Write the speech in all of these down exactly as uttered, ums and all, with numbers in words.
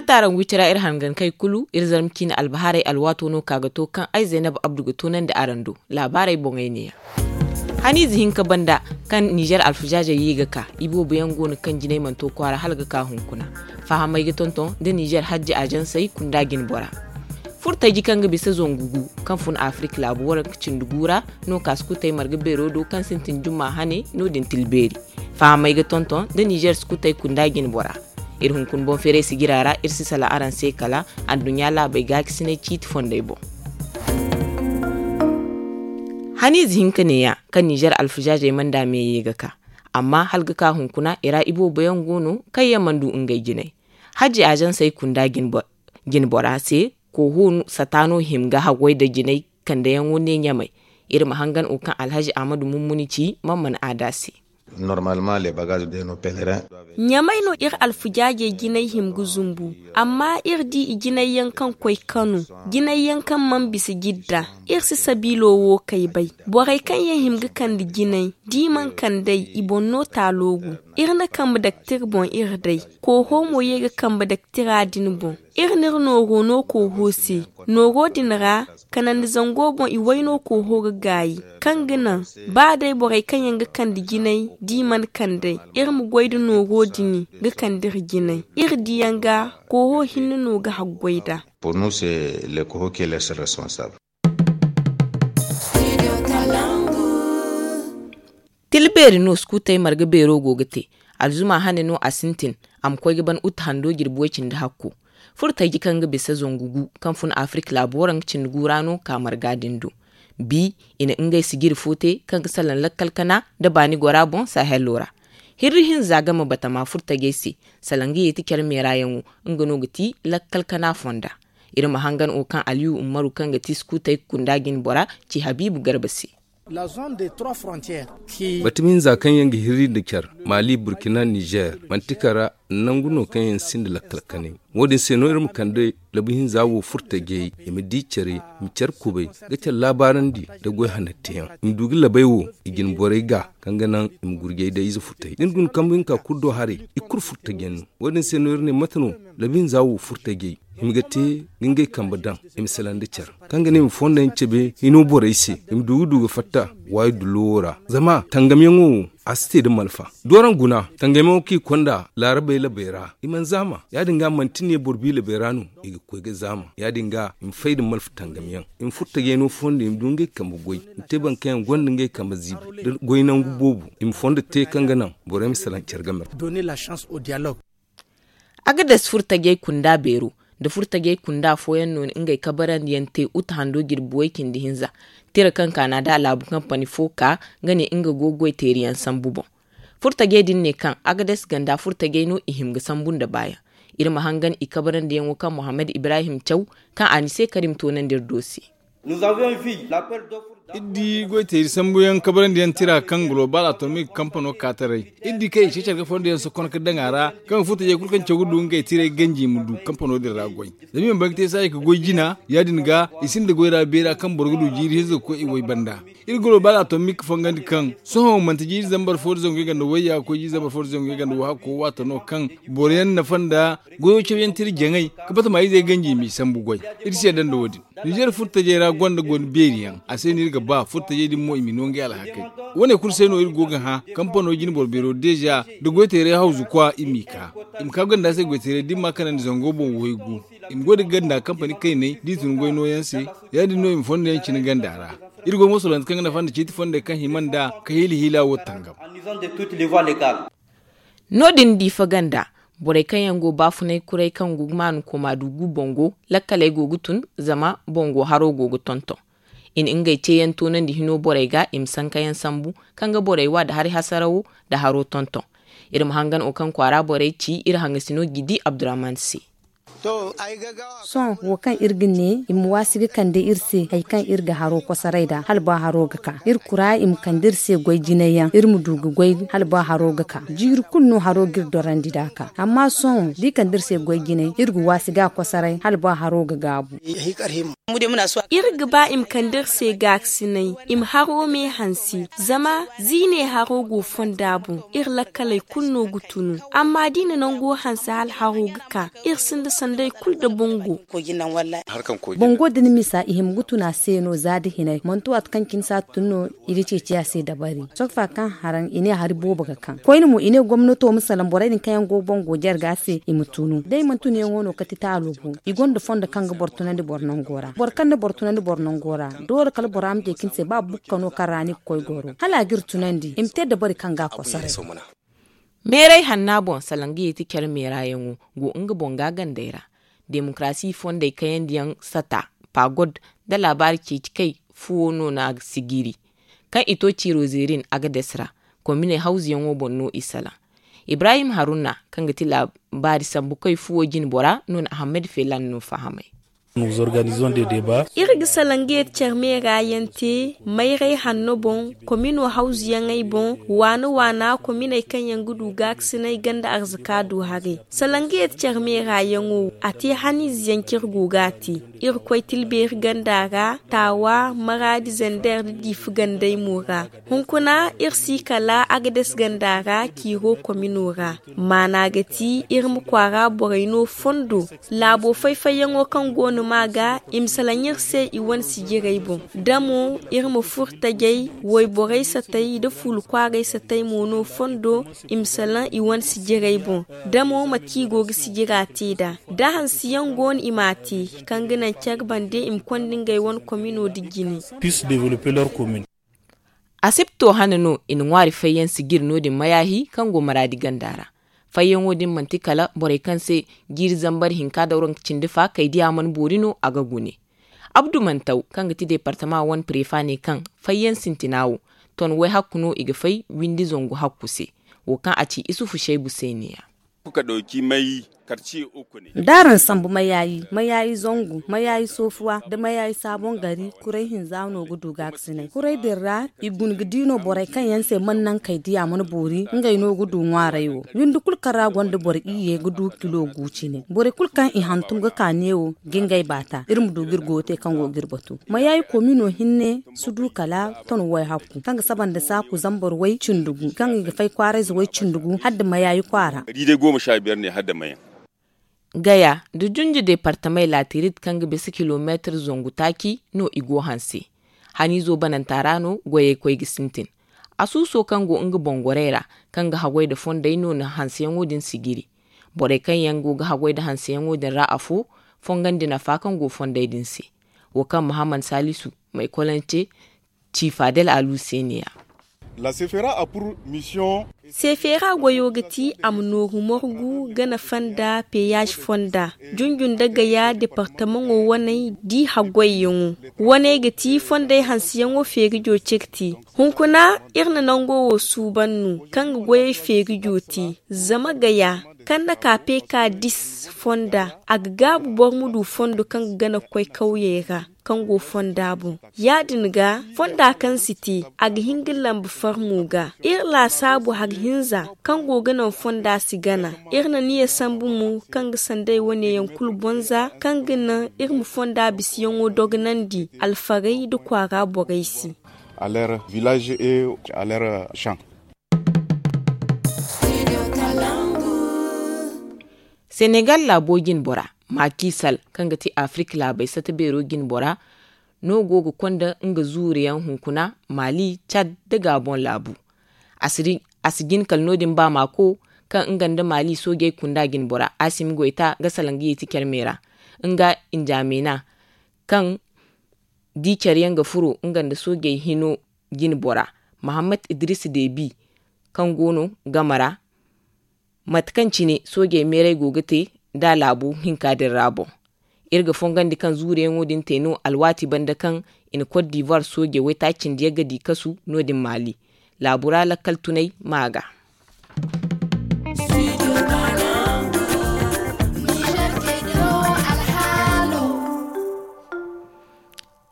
Taaraŋ wicira iri hangankey kulu iri zarma ciine albahaarey alwaato no ka ga to kaŋ ay zaynab abdu ga toonandi araŋ do. Laabaarey boŋey neeya. Haniize hinka banda kaŋ nizer alfazaazey ye ga ka, iboobo yaŋ go no kaŋ jinay mana to kwaara hala ga ka hunkuna. Fahamey ga tonton nda nizer hajji azansey kunda jinbora. Furtaji kaŋ ga bisa zangu gu kaŋ fun afirik laabu waranka cindi gu ra no ka sukutey marga beero do kaŋ sintin jumma hane no- din tilbeeri. Fahamey ga tonton nda nizer sukutey kunda jinbora. Iri hunkuna boŋ feeray sijira ra iri si salaŋ araŋ se kala adduɲɲa laabey gaakasinay ciiti fondey boŋ. Haniize hinka neeya kaŋ nizer alfazaazey mana da me ye ga ka. Amma hala ga ka hunkuna i ra iboobo yaŋ go no kaŋ yaŋ mana du ngey jinay. Hajji azansey kunda jinbora se kooho sata no hima ga haggoy nda jinay kandeyaŋo ne ɲamay. Iri ma hangan wo kaŋ alhazi ahmadu mummuni ci man mana aada se. Ɲamay no iri alfujaajey jinay hima ga zumbu. Amma iri di i jinay yaŋ kaŋ koy kano, jinay yaŋ kaŋ mana bisa jidda. Iri si sabiilo wo kay bay. Borey kaŋ yaŋ hima ga kande jinay da i mana kand'ey, i boŋ no taalo gu. Iri na kambe daktir boŋ iri day. Kooho mo ye ga kambe daktira din boŋ. Iri n'iri nooro no kooho se. Nooro din ra, kanandi zango boŋ i wayno kooho ga gaayi, kaŋ ga naŋ ba day borey kaŋ yaŋ ga kande jinay da i mana kand'ey, iri ma goy nda nooro din ga kande iri jinay. Iri diyaŋ ga kooho hinne no ga haggoy nd'a. Tilbeeri no sukutey marga beero go ga te. Alzuma hane no a sintin. A ma koy ga ban uta hando jirbi way cindi hakko. Furtaji kaŋ ga bisa zangu gu kaŋ fun afirik laabu waranka cindi gu ra no ka marga din do. Bi i na ngey sijiri fo te kaŋ ga salaŋ lakkal kana nda baani gora boŋ sahelo ra. Hirri hinza game batama furtajey se. Salaŋ ga yeeti care meerayaŋo nga no ga ti lakkal kana fonda. Iri ma hangan wo kaŋ aliyu ummaru kaŋ ga ti sukutey kunda jinbora ci habiibu garba se. Batama hinza kaŋ yaŋ ga hirri nda care, mali burkina nizer, mantika ra nangu no kaŋ yaŋ sinda lakkal kanay. Wo- din se no iri ma kande labu hinza wo furtajey, i ma di care, i ma care kubay ga care laabaarandi nda goy hananteyaŋ. I ma du ga labey wo i jinborey ga kaŋ ga naŋ i ma gurjay day ize furtajey da ni guna kambu hinka kulu do haray. I kulu furtajey no. Wo- din se no iri ne mate no labu hinza wo furtajey i ma ga te ga ngey kambe daŋ, i ma salaŋ nda care kaŋ ga ne i ma fondo yaŋ cabe hino borey se. I ma du ga du ga fatta waayi dullo wo ra. Zama tangamyaŋo wo a si te nda malfa. Dooraŋ guna tangamyaŋo kaŋ i konda laarabey labey ra i mana zaama. Ya- din ga manti ne boro bi labey ra no i ga koy ga zaama. Ya- din ga i ma fay nda malfa tangamyaŋ, i ma furtajey no fondo i ma du ngey kambe goy, i ma te boro kaŋ yaŋ gonda ngey kambe ziibi nda goy nangu boobo, i ma fondo te kaŋ ga naŋ borey ma salaŋ care game ra. Agades furtajey kunda beero nda furtajey kunda fooyaŋ no na ngey kabarandiyaŋ te uta hando jirbi way cindi hinza. Tira kaŋ kaana da laabu kampani fo ka nga ne nga go goy teeriyaŋ sambu boŋ. Furtajey din ne kaŋ agades ganda furtajey no i hima ga sambu nda baayaŋ. Iri ma hangan i kabarandiyaŋo kaŋ mohammed ibrahim caw kaŋ a ni se karim toonandi iri do se. Iri di goyteeri sambuyaŋ kabarandiyaŋ tira kaŋ global atomic kampano ka taray. Iri di kaŋ i ceecar ga fondoyaŋ sokon ka daŋ a ra kaŋ ga furtajey kulu kaŋ caw ga du ngey tiray ganji ma du kampano din ra goy. Zama i mana bay ga te saayi ka goy jina ya- din ga i sinda goy ra beera kaŋ boro ga du jiiri hinza ga koy i way banda. Iri global atomic fongandi kaŋ sohõ manti jiiri zambar fo da zangu i ganda wayya ga koy jiiri zambar fo da zangu i ganda wahakko waato no kaŋ boroyaŋ nafa nda goyo cawyaŋ tira jaŋay ka bata ma izey ganji i m'i sambu goy. Iri si yadda nda wo- din. Nizer furtajey ra gonda goy beeri yaŋ a se no iri ga ba furtajey din mo i ma no ngey alhakey. Wo- ne kulu se no iri go ga hã kampano jine boro beero deeza da goyteeray hawzu kwa i m'i ka i ma ka gonda se goyteeray da i ma a kanandi zango boŋ waygu. I ma goy da gonda kampani kaynay da i tun goy nooyaŋ se. Ya- din no i ma fondo yaŋ cine ganda ra. Iri go ga mosolante kaŋ ga nafa nda ciiti fondey kaŋ hima nda ka hiila hiila wo tangam. No- din diifa ganda borey kaŋ yaŋ go baafunay kuray kaŋ go ga maanu koma du gu boŋ go lakkaley go ga tun zama boŋ go haro go ga tonton. I na ngey ceeyaŋ toonandi hino borey ga i ma sankayaŋ sambu kaŋ ga borey wa nda hari hasarawo nda haro tonton. Iri ma hangan wo kaŋ kwaara borey ci iri hangasino gidi abdurahman se. Sohõ wo kaŋ iri ga ne i ma waasi ga kande iri se hari kaŋ iri ga haro kosoray nd'a hala ba haro ga ka iri kura i ma kande iri se goy jinay yaŋ iri ma du ga goy hala ba haro ga ka jiiri kulu no haro ga iri dorandi nd'a ka amma sohõ da i kande iri se goy jinay iri ga waasi ga kosoray hala ba haro ga gaabu. Iri ga ba i ma kande iri se gaakasinay i ma haro me hanse zama ziine haro go fonda boŋ iri lakkaley kulu no ga tunu amma da i na nango hanse hala haro ga ka iri sinda. Day kulu da bango. Bango da ni misa i hima ga tun a se no za da hinay manti waati kaŋ cine si a tun no. I ga ceeci a se dabari sokfa kaŋ haraŋ i ne hari boobo ga kaŋ koyne mo i ne gomnato ma salaŋ borey din kaŋ yaŋ go ga bango jare ga se i ma tunu da i mana tun yaŋo no kati taalo boŋ. I gonda fondo kaŋ ga boro tunandi boro nango ra boro kaŋ na boro tunandi boro nango ra. Doole kala bora ma ceeci ni se ba bukka no kaŋ ra ni ga koy goro hala a ga iri tunandi i ma te dabari kaŋ ga a kosoray. Meeray hanna boŋ salaŋ ga yeeti care meerayaŋo go nga boŋ ga gandey ra. Demokarasi fondey kayandiyaŋ sata pagod da laabaari ceeci kay fuwo no no a ga sijiri. Kaŋ i to ciiro zeerin a ga des ra kominey hawzuyaŋo boŋ no i salaŋ. Ibrahim haruna kaŋ ga ti laabaari sambu kay fuwo jinbora no na ahammad felan no fahamay. Iri ga salaŋ ga yeeti care meera yaŋ te mayray hanno boŋ komino hawzuyaŋey boŋ waana waana kominey kaŋ yaŋ ga du gaakasinay ganda arzaka du haray. Salaŋ ga yeeti care meera yaŋo a te haniize yaŋ kaŋ iri go ga a te. Iri koy tilbeeri ganda ra taawa maraadi zander da diifa gandey mo ra. Hunkuna iri si kala agades ganda ra ciiro komino ra. Maana ga ti iri ma kwaara borey no fondo. Laabo fay-fayyaŋo kaŋ go no ma ga i ma salaŋ iri se i wane sijirey boŋ. Da mo iri ma furo tajey wayborey satay nda fuulu kwaaray satay mo no fondo. I ma salaŋ i wane sijirey boŋ. Da mo mate kaŋ i go ga sijira te nd'a da hanseyaŋ go no i m'a te kaŋ ga naŋ care bande i ma konda ngey wane komino nda jine. Asibto hane no i na ŋwaari fayyaŋ sijiri no-din mayaahi kaŋ go maraadi ganda ra. Fayyaŋo din manti kala borey kaŋ se jiiri zambar hinka da waranka cindi fa kay diya mana boori no a ga gune. Abdu mantaw kaŋ ga ti departama wane prefa ne kaŋ fayyaŋ sintina wo ton way hakku no i ga fay windi zangu hakku se. Wo kaŋ a ci isufu shaybu se ne ya. Da araŋ sambu mayaayi mayaayi zangu mayaayi soofuwa nda mayaayi saabon gari kuray hinza no ga du gaakasinay kuray din ra. I guna ga di no borey kaŋ yaŋ se mana naŋ kay diya mana boori ngey no ga du ŋwaaray wo. Windi kulu kaŋ ra gonda boro iyye ga du kilo gu cine borey kulu kaŋ i hantum ga ka neewo ga ngey baata iri ma du ga iri goyo te kaŋ go ga iri batu. Mayaayi komino hinne si du kala ton way hakku kaŋ ga saba nda saaku zambar way cindi gu kaŋ i ga fay kwaarayze way cindi gu hala nda mayaayi kwaara. Gaya nda junju departamey laatirit kaŋ ga bisa kilomeetir zangu taaci no i go hanse. Haniizo bananta ra no goyey koy ga sintin. Asuuso kaŋ go nga boŋ gorey ra kaŋ ga haggoy nda fondey no na hanseyaŋo din sijiri. Borey kaŋ yaŋ go ga haggoy nda hanseyaŋo din ra afo fongandi nafa kaŋ go fondey din se. Wo kaŋ muhammad saalisu maykolance ci fadel alu se ne ya. Seefeera goyo ga ti a ma nooru morgu gana fonda peyaaz fonda junju nda gaya departamaŋo waney da i haggoyyaŋo. Waney ga ti fondey hanseyaŋo feerijo cire te. Hunkuna iri na nango wo suuban no kaŋ ga goyey feerijo te. Zama gaya kaŋ na ka peka dis fonda a ga gaabu boro ma du fondo kaŋ ga gana ga koy kawyey ra kaŋ go fonda boŋ. Ya- din ga fonda kaŋ si te a ga hin ga lamba farmo ga. Iri laasaabu hari hinza kaŋ go ga naŋ fonda si gana. Iri na niya sambu mo kaŋ ga sanday wane yaŋ kulu bonza kaŋ ga naŋ iri ma fonda bisiyaŋo dogonandi alfarey nda kwaara borey se. Senegal laabo jinbora, maki sal kaŋ ga ti afirik laabey sata beero jinbora no go ga konda nga zuuriyaŋ hunkuna, mali, cad, nda gabon laabu. A si jin kala no- din ba mako kaŋ nga nda mali soojey kunda jinbora asimi goyta ga salaŋ ga yeeti care me ra. Nga injamena kaŋ di care yaŋ ga furo nga nda soojey hino jinbora, mahammad idris debi, kaŋ go no game ra. Mate kaŋ cine soojey meeray go ga te nda laabu hinka din ra boŋ. Iri ga fongandi kaŋ zuuriyaŋo din te no alwaati banda kaŋ i na kot divuwar soojey waytaaci cindi yagga di kasu no- din maali laabu ra lakkal tunay ma ga.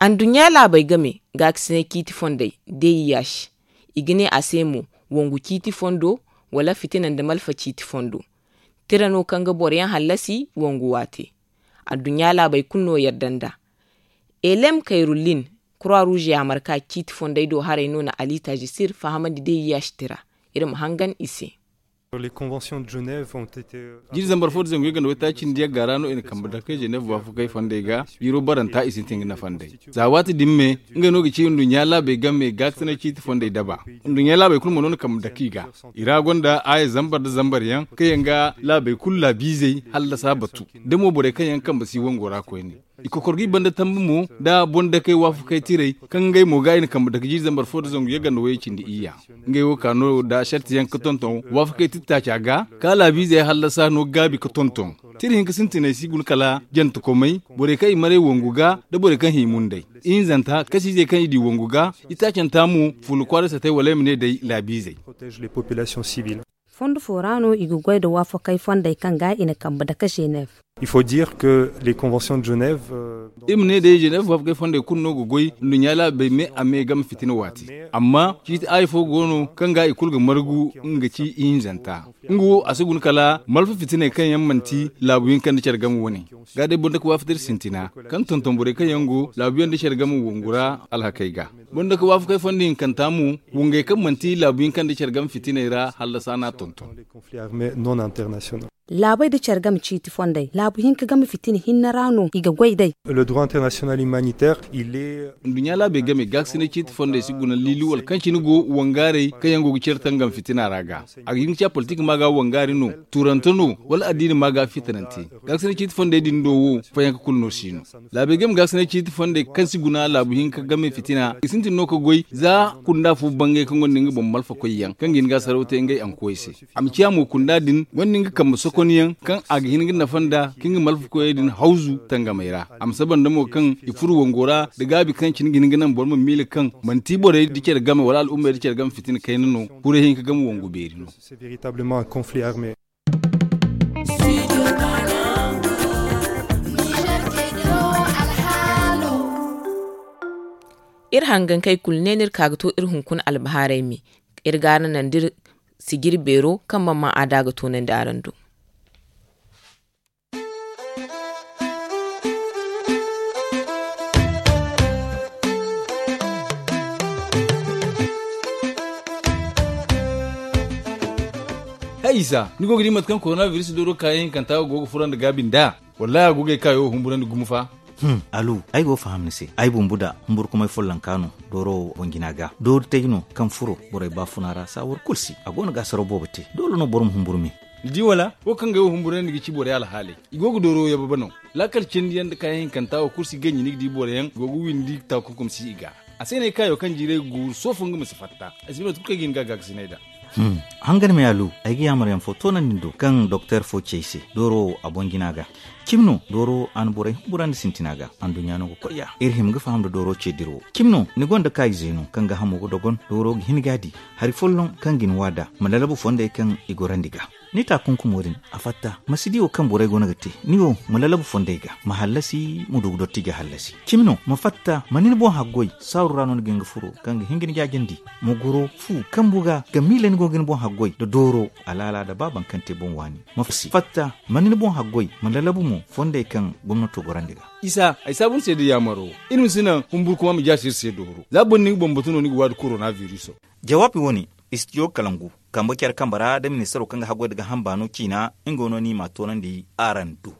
Anduɲɲa laabey game gaakasinay ciiti fondey, d i h, i ga ne a se mo, wangu ciiti fondo wala fitina nda malfa ciiti fondo. Tira no kaŋ ga boroyaŋ hallasi wangu waate. Anduɲɲa laabey kulu no yadda nd'a. Elem kayrullin, kura ruuze yaamarka ciiti fondey do haray no na ali taajisir fahamandi d i h tira. Iri ma hangan i se. Les conventions de Genève ont été, euh, jiiri zambar fo da zangu yagga nda waytaaci cindi yagga ra no i na kambe dake Genève waafakey fondey ga. Jiiro baranta i sintin ga nafa nd'ey. Za waati din me, ngey no ga ci nduɲɲa laabey game gaakasinay ciiti fondey daba. Nduɲɲa laabey kulu mo no na kambe dake i ga. I ra gonda aaya zambar nda zambar yaŋ kaŋ yaŋ ga laabey kulu laabiizey hallasa batu. Da mo borey kaŋ yaŋ kambe si wango ra koyne. I kokor ga i banda tambi mo nda boŋ-dakey waafakey tirey, kaŋ ngey mo ga i na kambe dake jiiri zambar fo nda zangu yagga nda wayey cindi iyya. Ngey wo ka no nda sartiyaŋ ga tonton waafakey tira taaca ga, ka laabiizey hallasa no gaabi ga tonton. Tira hinka sintiney si guna kala jantekomey, borey kaŋ i maray wangu ga, nda borey kaŋ hima nd'ey. Ihinzanta, kasiizey kaŋ i di wangu ga, itaacanta mo, fuula kwaara satey wala ay ma ne day laabiizey. Protège les populations civiles. Fondo fo ra no i ga goy nda waafakey fondey kaŋ ga i na kambe dake Genève. Il faut dire que les conventions de Genève, euh, iri ma ne day Genève waafakey fondey kulu no ga goy nduɲɲa laabey me a me game fitina waati. Amma ciiti aaya fo go no kaŋ ga i kulu ga margu, nga ci ihinzanta. Nga wo a si guna kala malfa fitiney kaŋ yaŋ manti laabu hinka nda care game wane. Ga day boro nda ga waafatar sintina kaŋ tonton borey kaŋ yaŋ go laabu yaŋ nda care game wangu ra alhakey ga. Boro nda ga waafakey fondo hinkanta mo, wangey kaŋ manti laabu hinka nda care game fitiney ra hallasa n'a tonton. Laabey nda care game ciiti fondey laabu hinka game fitina hinne ra no i ga goy day. Le droit international humanitaire, il est nduɲɲa laabey game gaakasinay ciiti fondey si guna liili wala kaŋ cine go wangaarey kaŋ yaŋ go ga care tangam fitina ra ga. A ga hin ga ci a politik ma ga wangaari no, turante no, wala addiini ma ga fitinante. Gaakasinay ciiti fondey din do wo fayanka kulu no si no. Laabey game gaakasinay ciiti fondey kaŋ si guna laabu hinka game fitina i sintin no ga goy za kunda fo bangay kaŋ gonda nga boŋ malfakoy yaŋ kaŋ ga hin ga a saraw te ngey ankoy se. A ma ciya mo kunda din gonda nga kambe sokonyaŋ kaŋ a ga hin ga nafa nda ka nga malfakoyey din hawzu tangamey ra. A ma saba nda mo kaŋ i furo wango ra nda gaabi kaŋ cine ga hin ga naŋ boro ma miila kaŋ manti borey nda care game wala al'ummey nda care game fitina kayna no. Kuray hinka game wangu beeri no. Iri hangankey kulu ne no iri ka ga to iri hunkuna albahaarey me. Iri ga araŋ naŋ da iri sijiri beero kaŋ mana ma a da ga toonandi araŋ do. Hay isa, ni go ga di mate kaŋ korona biris dooro kaayaŋ hinkanta go ga fura nda gaabi nda? Wallahi a go ga ay kaayo humburandi gumo fa. Alu, ay go ga faham ni se. Ay bumbu da humburkumay follonka no dooro boŋ jina ga doori tay no kaŋ furo borey baafuna ra saawar kulu se. A go no ga asaraw boobo te. Doole no boro ma humburu me. Ni di wala? Wo kaŋ ga ay wo humburandi ga ci borey alhaaley. I go ga dooro yababe no. Laakal cindi yaŋ nda kaayaŋ hinkanta wo kulu si ganji ni ga di boro yaŋ go ga windi taakunkum si i ga. A se no ay kaayo kaŋ jiiray ga guuru soofo nga ma si fatta. Ay si ba no tun kaŋ ay ga hin ga gaakasinay da. Hangan me alu, ay ga yaamar yaŋ fo toonandi ni do kaŋ doktor fo ci ay se dooro wo a boŋ jina ga. Cimi no dooro a na borey humburandi sintina ga. Anduɲɲa no ga koy ya iri hima ga faham nda dooro ce dira wo. Cimi no ni gonda kaayize no kaŋ ga hamo ga dogon dooro ga hin ga a di hari folloŋ kaŋ ga ni waada ma lalabu fondey kaŋ i gorandi ga. Ni taakunkumo din a fatta ma si di wo kaŋ borey go no ga te. Ni wo ma lalabu fondey ga ma hallasi ma du ga dotti ga hallasi. Cimi no ma fatta ma ni ni boŋ haggoy saaru ra no ni ga hin ga furo kaŋ ga hin ga ni jaajandi. Ma goro fu kambu ga ga miila ni go ga ni boŋ haggoy nda dooro alaala nda ba baŋ kaŋ te boŋ waani. Ma fatta ma ni ni boŋ haggoy ma lalabu mo fondey kaŋ gomnato gorandi ga. Isa ay saabu ni se da yaamaro. Iri ma si naŋ humburkuma ma jaasi iri se dooro za boro ni ga bambatu no ni ga waadi korona biriso. Jawaabi wane istidiyo kalangu kambe care kambe ra da ministaro kaŋ ga haggoy nda gaaham baano ciina nga no ni m'a toonandi araŋ do.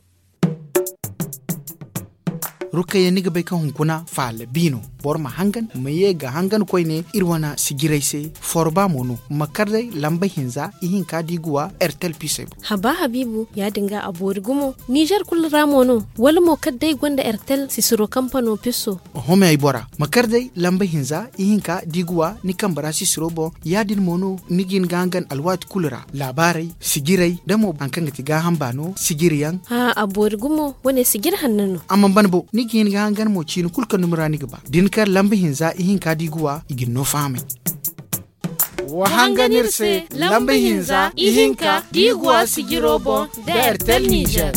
Rukayya ni ga bay kaŋ hunkuna faala bi no. Boro ma hangan ma ye ga hangan koyne iri wane sijiray se. Forba mo no ma kar day lamba hinza ihinka da i ga wa ertel pisey boŋ. Haba habiibu ya- din ga a boori gumo nizer kulu ra mo no? Wala mo kar day gonda ertel sisiro kampano piso? Oho me ay bora ma kar day lamba hinza ihinka da i ga wa ni kambe ra sisiro boŋ. Ya- din mo no ni ga hin ga hangan alwaati kulu ra laabaarey sijiray da mo hari kaŋ ga ti gaaham baano sijiri yaŋ. Haa a boori gumo wane sijiri hanno no. A mana ban bo ni ga hin ga hangan mo ciini kulu kaŋ dumi ra ni ga ba da ni kar lamba hinza ihinka da i ga wa i ga ni no fahamay. Wa hangan iri se lamba hinza ihinka da i ga wa sijiro boŋ da ertel nizer.